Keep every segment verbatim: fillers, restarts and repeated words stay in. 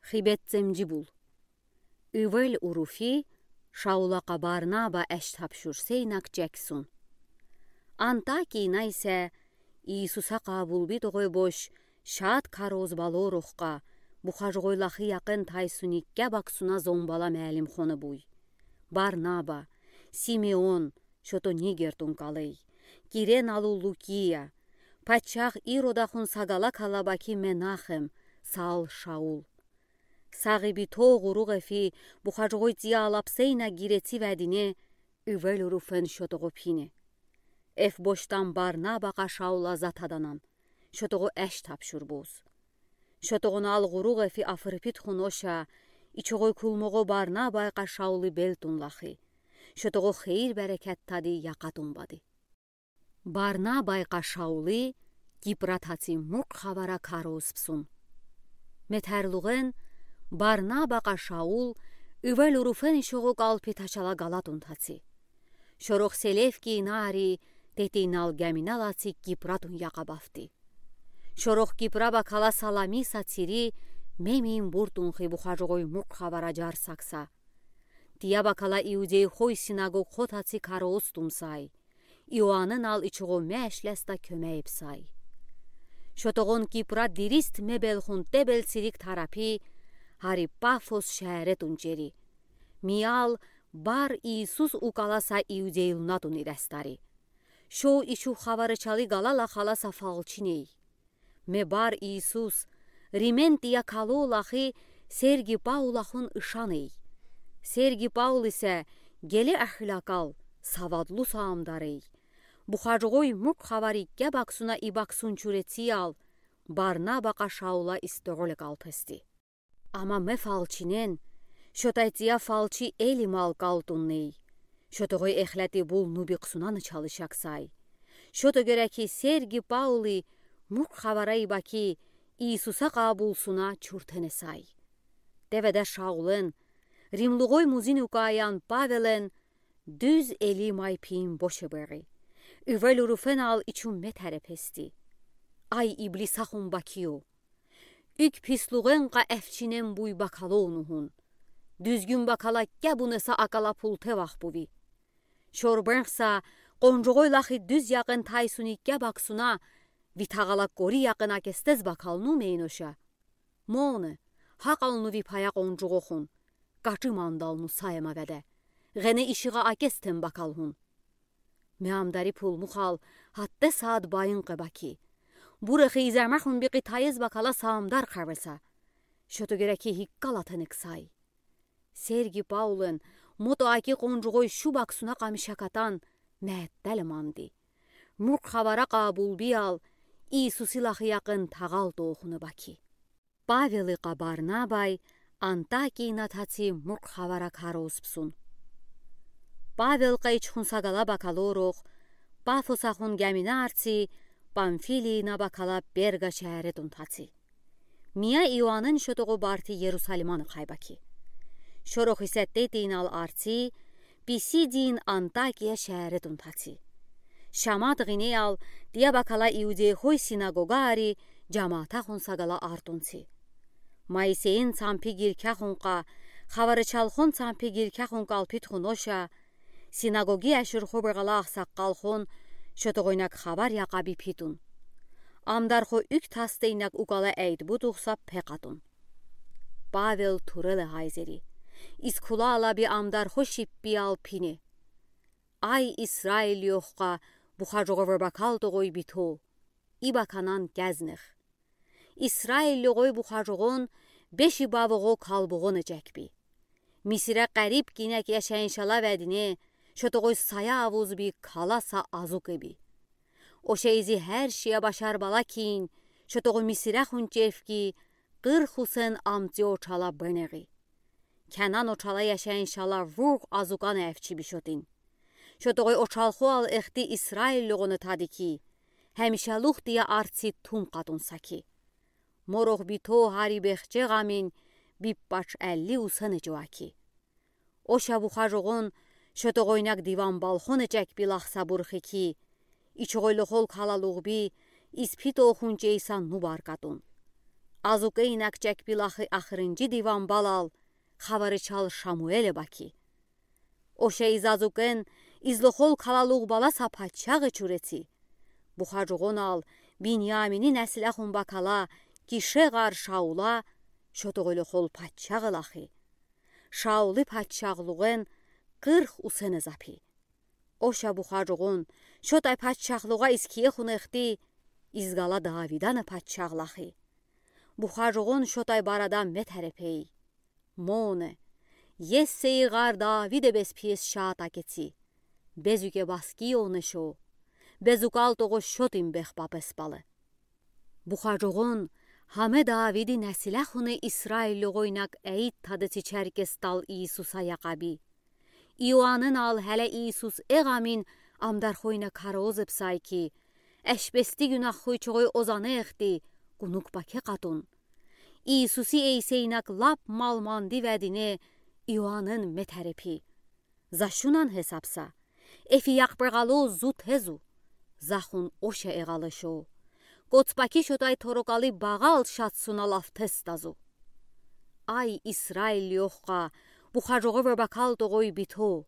Хибет цемжибул. Ивел уруфи Шаула кьа Барнаба эш тапшур сейнак чексун. Антакийна исе Иисуса кьабулби тогой бош шад кароз балорухка, бухажгой лахи якын тайсуникке баксуна зомбала мелим хона буй. Барнаба, Симеон, шото нигертун калей, Киреналу Лукия, пачах Иродахун сагала калабаки Менахем, сал Шаул. Сагиби то гуругъефи бухажгой цияла псейна гиреци ведине, ивел уруфен шотого пине. Эф бошдан Барнаба кьа Шаула затаданан, шотого эш тапшур буз. Шотогъунал гуругъефи афырпитхун оша, ичогой кулмого Барнабай кьа Шаули белтун лахи. Шотого хейир берекет тади якъатун бади. Барнабай кьа Шаули Кипра таци муркъ хавара кароз псун. Метерлугъен Барнаба кьа Шаул ивел уруфен ишого калпи тачала галатун таци. Шорох Селевкийнари тетинал геминал аци Кипратун якъа бафти. Шорох Кипра бакала Саламиса цири мемин буртун хи бухажгой муркъ хавара жарсакса. Тия бакала иудейхой синагог хо таци кароз тумсай. Иоаннал ичого мешлеста кёмейбсай. Шотогъун Кипра дирист мебелхун тебел цирик тарапи, гьари Пафос шееретун чери. Миял Бар Иисус укаласа иудейлунатун ирестари. Шо ичув хаварачали галала халаса фалчиней. Ме Бар Иисус, Римен тия кало лахи Серги Паулахун ишаней. Серги Паул исе гели ахлакъал, савадлу саамдарей. Бухажгой муркъ хаварикке баксуна ибаксун чурециял, Барнаба кьа Шаула истороле калпести. Ама ме фалчинен, шотай тия фалчи элимал калтунней. Шотогъой эхлети бул нубикъсунаны чалышаксай. Шото гереки Серги Паули муркъ хавара ибаки Иисуса кьабулсуна чуртенесай. Теведа Шаулен, римлугъой музин укаян Павелен дуьз эли май пиим бошебери. Ивел уруфенал ичун метерепести. Ай иблисахун бакио. Ик пислугъен кьа эфчинен буй бакалону гьун. Дуьзгюн бакала кебунеса акала пулте вахбуви. Шорбенхса къонжугъой лахи дуьз якъен тайсуникке баксуна, ви тагъала кори якъен акестез бакалну мейноша. Моне, гьакъалну ви пая къонжугъохун. Качи мандалну саема веде. Гъене ишигъа акестен бакалгьун. Ме амдари пулмухал гьатте саад баин къебаки. Бурехи изамахун бикъи тайез бакала саамдар къавеса. Шото гереки гьиккала тенексай. Серги Паулен мото аки къонжугъой шу баксуна къамишакатан меттеле манди. Муркъ хавара къабулбиял Иисуси лахи якъен тагъал тоохуна баки. Павели кьа Барнабай Антакийна таци муркъ хавара кароз псун. Павел кьа ичхун сагала бакалорох, Пафосахун гемина арци, Памфилийна бакала Перга шееретун таци. Мия Иоаннен шотогъо барти Ерусалиман хайбаки. Шорох исе тетинал арци, Писидиин Антакия шееретун таци. Шамат гъинеял тия бакала иудейхой синагогаари жамаатахун сагала артунци. Моисейин цампи гиркяхун кьа, хаварачалхун цампи гиркяхун калпитхун оша, синагоги ашурхо бегъала ахсаккалхун шотогъойнак хавар якъа бипитун. Амдархо уьк тасдейнак укала эйд бутухса пекъатун. Павел туреле гьайзери. Искулала би амдархо шиппиял пине. Ай Исраил йохка бухажугъа вебакал тогъой бито, ибаканан кезнех. Исраил йогъой бухажугъун беши бавугъо калбугъун эжекби. Мисире къариб кинек яшайыншала ведине, шотогъой сая авузби каласа азук эби. Оша изи гьер шия башар бала кин, шотогъо Мисире хунчефки, къырх усен амци очала бенегъи. Кенан очала яшайыншала вугъ азукан эфчи бишотин. Шотогъой очалхуал эхти Исраил йогъуна тади ки, гьамишалух тия арци тум къатун саки. Морох бито гьари бехче гъамин биппач элли усен эжуаки. Оша бухажугъун шотогъойнак диван балхон эжекби лахса бурхи ки, ичогъойлохол калалугъби испит охунчейса нубар къатун. Азукейнак чекпи лахи ахырынҷи диван балал, хаварычал Шамуэле баки. Оша из азукен излохол калалуғ бала са паччағ ечур эци. Бухаҷуғунал Биньяминни несилехун бакала Кише ɣар Шаула шотоғойлохол паччағ лахи. Шаули паччағлуғен къырх усене запи. Оша бухаҷуғун шотай паччағлуға из киехун эхти, из гала Давидани паччағ лахи. Бухаҷуғун шотай барада ме терепей: Моне, Иессей ɣар Давиде бес пиес шаат акеци. Безуке баски ёне шо. Безукалтоғо шотим бехпапес бале. Бухаҷуғун һаме Давиди несилехуни Исраиллюғойнак эйт тадеци чаркестал Иисуса яқаби. Иоаннал һәлә Иисус еғамин амдархойна караозыбсай ки, эшбести гюнаххой чоғой озаны эхти, гунуг баке къатун. Иисуси эйсейнак лап малманди ведине Иоаннын ме терепи. За шунан хесапса, эфи яқбағалу зу тезу. Захун оша еғалашо. Коцпаки шотай торокали бағал шатсуна лафтес тазу. Ай, Исраиллюхқа, бухаҷуғ ве бакалтоғой бито.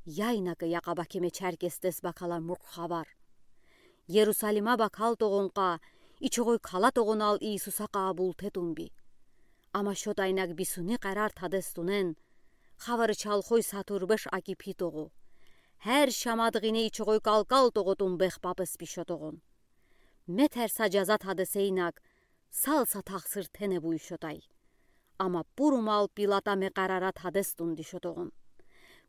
Яйнаке яқабаки ме чаркестес бакала мурх хавар. Иерусалима бакалтоғунға, ичоғой калатоғунал Иисуса къабул тетунби. Ама шотайнак бисуни қарар тадес тунен, хаварычал хой сатурбеш аки пи тоғо. Һәр шамадғине ичоғой калкалтоғо тун бехпапес би шотоғун. Ме терса жаза тадесейнак, салса тахсыр тене буй шотай. Ама пурумал Пилата ме қарара тадес тунди шотоғун.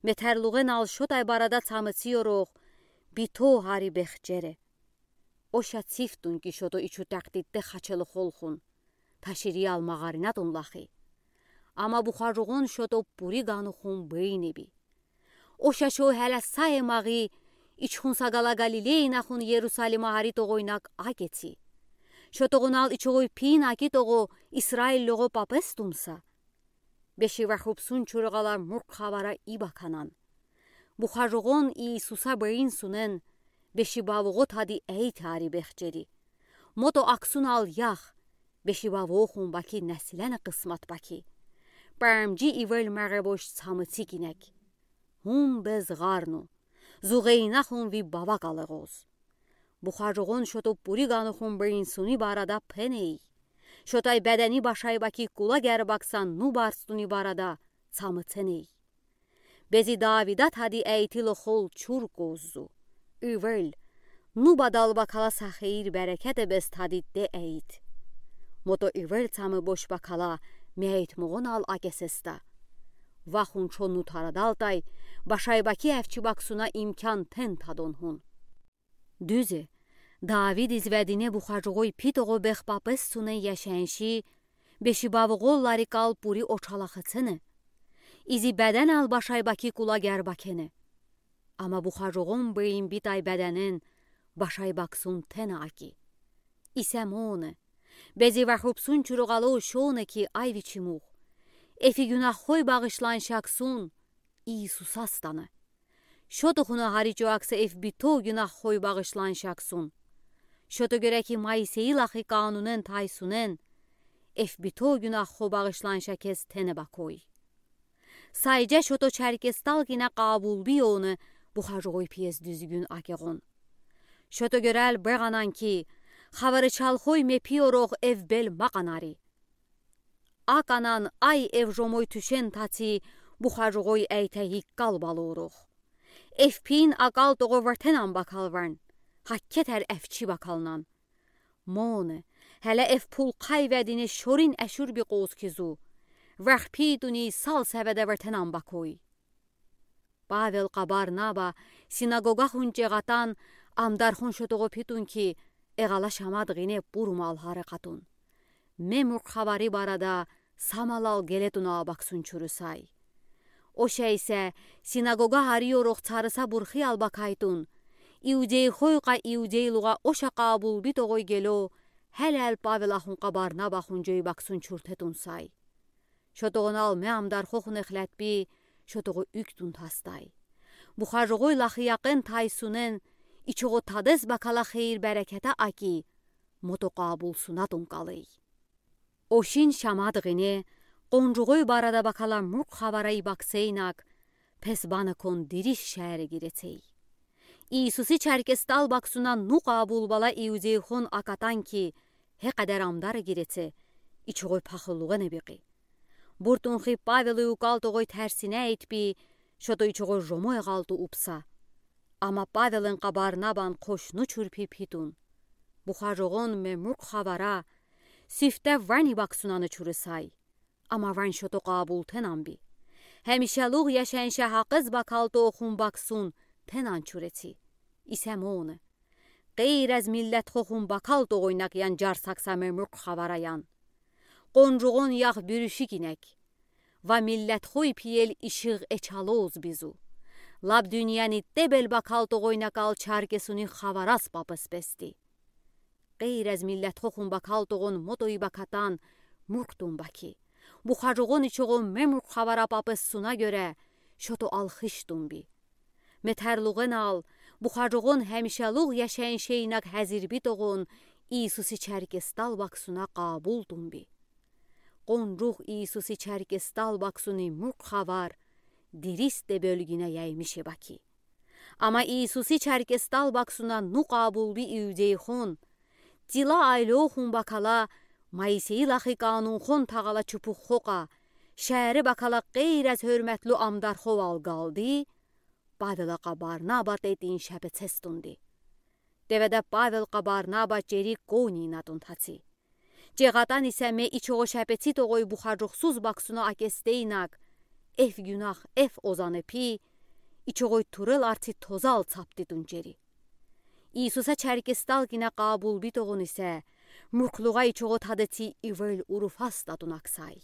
Ме терлуғенал шотай барада цамыци ёрох, бито һари бехчере. Оша цифтун ки шото ичу тахтитте хачелы холхун. Ташириял мағаринатун лахи. Ама бухаҷуғун шото пури ганухун бейнеби. Оша шо һәлә сае мағи, ичхун са гала Галилейнахун Иерусалима һари тоғойнак акеци. Шотоғунал ичоғой пин аки тоғо Исраиллюғо папес тунса. Беши вахупсун чурғала мурх хавара ибаканан. Бухаҷуғун Иисуса бейн сунен, беши бавуғо тади эйт һари бехчери. Мото аксунал ях, беши бавуғохун баки несилени къысмат баки. Памҷи ивел меғебош цамыци кинек. Һун без ɣарну, зуғейнахун ви баваг алеғоз. Бухаҷуғун шото пури ганухун бейн суни барада пеней. Шотай бедени башай баки кула гербаксан ну барстуни барада цамыценей. Бези Давида тади эйти лохол чур коззу. Ивел, ну бадал бакала са хейир берекете без тади де эйт. Мото ивел цамы бош бакала мейтмуғунал акесеста. Вахун чон ну тарадалтай, башай баки эвчи баксуна имкан тен тадон һун. Дуьзе, Давид из ведине бухаҷуғой пи тоғо бехпапес суне яшенши, беши бавуғоллари кал пури очалахецене. Изи беденал башай баки кула гербакене. Ама бухаҷуғун бейн битай беденен башай баксун тене аки. Исе моне, бези вахупсун чурғало шоне ки ай вичи мух. Эфи гюнаххой бағышлан шаксун Иисуса стана. Шото хуна ҳари чоакса эф бито гюнаххой бағышлан шаксун. Шото гёре ки Моисей лахи канунен тайсунен, эф бито гюнаххо бағышлан шакес тене бакой. Сайҷа шото чаркестал гина қабул бийоне бухаҷуғой пиес дуьзгюн акеғун. Шото гёрел беғанан ки, хаварычалхой ме пиорох эв бел мақанари. Аканан ай эв жомой туьшен таци бухаҷуғой эйте иккал балурох. Эв пин акал тоғо вертенан бакал варн, хаккетер эв чи бакалнан. Моне, ҳеле эв пулқай ведине шорин эшур би қоз кизу. Варх пи дуни сал севеде вертенан бакой. Павел қа Барнаба синагогахун чеғатан амдархун шотоғо питун ки, эғала шамад ғине пурумал ҳаракатун. Мемур хабари барада самалал гелетуна абаксун чурусай. Оша исе синагога ҳариорох царыса бурхиял бакайтун. Иудейхой қа иудейлуға оша қабул битоғой гелё, ҳелел Павел ахун қа Барнаба хун ҷой баксун чуртетун сай. Шотоғунал ме амдархохун эхлетби, шотоғо уьктун тастай. Бухажоғой лахияқен тайсунен, ичоғо тадес бакала хейир берекета аки, мото қабулсунатун калый. Ошин шамадгъине, къонжугъой барада бакала муркъ хавара ибаксейнаг, пес баныкон дирис шеере гирецей. Иисуси черкестал баксуна ну къабулбала иудейхон акатан ки, гье къадар амдар гиреце, ичугъой пахыллугъа небикъи. Буртунхи Павелый укалтогъой терсине эйтпи, щото ичугъой жомой гъалту упса. Ама Павелэн къа Барнабан хошну чурпи питун. Бухажугъон мемуркъ хавара, сифте вани баксунаны чурысай. Ама ван щото къабул тенанби. Гьемишалугъ яшенше гьакъыз бакалтохун баксун тенан чуреци. Исе моне. Гъейрез миллетхохун бакалтогъойнаг ян жарсакса мемуркъ хавараян. Къонжугъон ях бюрюшик инек. Ва миллетхой пиел ишигъ эчалоз бизу. Лап дуьньяни тебел бакалтогъойнаг ал черкесуни хаварас папыс пести. Гъейрез миллетхохун бакалтогъон мотойи бакатан муркъ тунба ки. Бухажугъон ичугъон мемуркъ хавара папыс суна гёре, щото алхыш тунби. Метерлугъенал, бухажугъон гьемишалугъ яшеншейнаг гьазир битогъон Иисуси черкестал баксуна къабул тунби. Къонжугъ Иисуси черкестал баксуни муркъ хавар дирис тебёлгина яймиш еба ки. Ама Иисуси черкестал баксуна ну къабулби иудейхон, тила айлохун бакала, Моисейи лахи канунхон тагъала чупух хокъа, шери бакала гъейрез гьёрметлу амдарховал галди, Павела къа Барнаба тетин шепецес тунди. Деведе Павел къа Барнаба чери конина тун таци. Чегатан исе ме ичугъо шепецитогъой бухажухсуз баксуна акестейнаг, эф гюнах, эф озаны пи, ичугъой турел арци тозал цапти тун чери. Иисуса черкестал гина къабул битогъон исе, муркълугъа ичугъо тадеци ивел уруфас татунаксай.